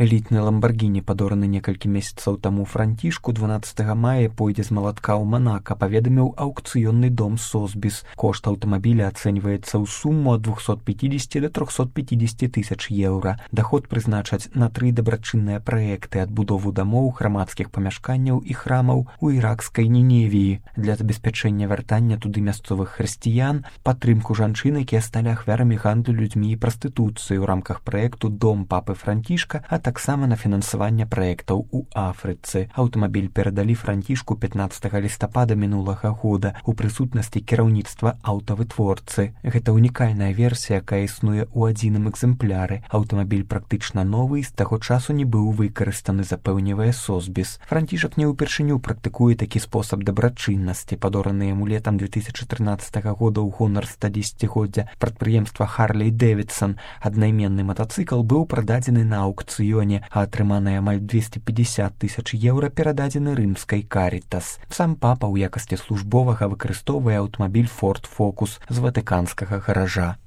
Элітны ламбаргіні, падораны некалькі месяцаў таму Францішку, 12 мая пойдзе з малатка ў Манака, паведаміў аўкцыённы дом Сосбіс. Кошт аўтамабіля ацэньваецца ў суму ад 250 до 350 тысяч еўра. Даход прызначаць на 3 дабрачынныя праекты: адбудову дамоў, грамадскіх памяшканняў і храмаў у іракскай Ніневіі, для забеспячэння вяртання туды мясцовых хрысціян, падтрымку жанчын, якія сталі ахвярамі гандлю людзьмі і прастытуцыі ў рамках праекту «Дом папы Францішка», а таксама на фінансаванне праектаў у Афрыцы. Аўтамабіль перадалі Францішку 15 лістапада мінулага года у прысутнасці кіраўніцтва аўтавытворцы. Гэта унікальная версія, якая існуе ў адзіным экземпляры. Аўтамабіль практычна новы і з таго часу не быў выкарыстаны, запэўнівае Сосбіс. Францішак не ўпершыню практыкуе такі спосаб дабрачыннасці. Падораны яму летам 2014 года ў гонар 110-годдзя прадпрыемства Харлей Дэвідсон аднайменны матацыкл быў прададзены на аўкцыёне, а атрыманыя амаль 250 тысяч еўра перададзены рымскай Карітас. Сам папа ў якасці службовага выкарыстоўвае аўтамабіль Ford Focus з ватыканскага гаража.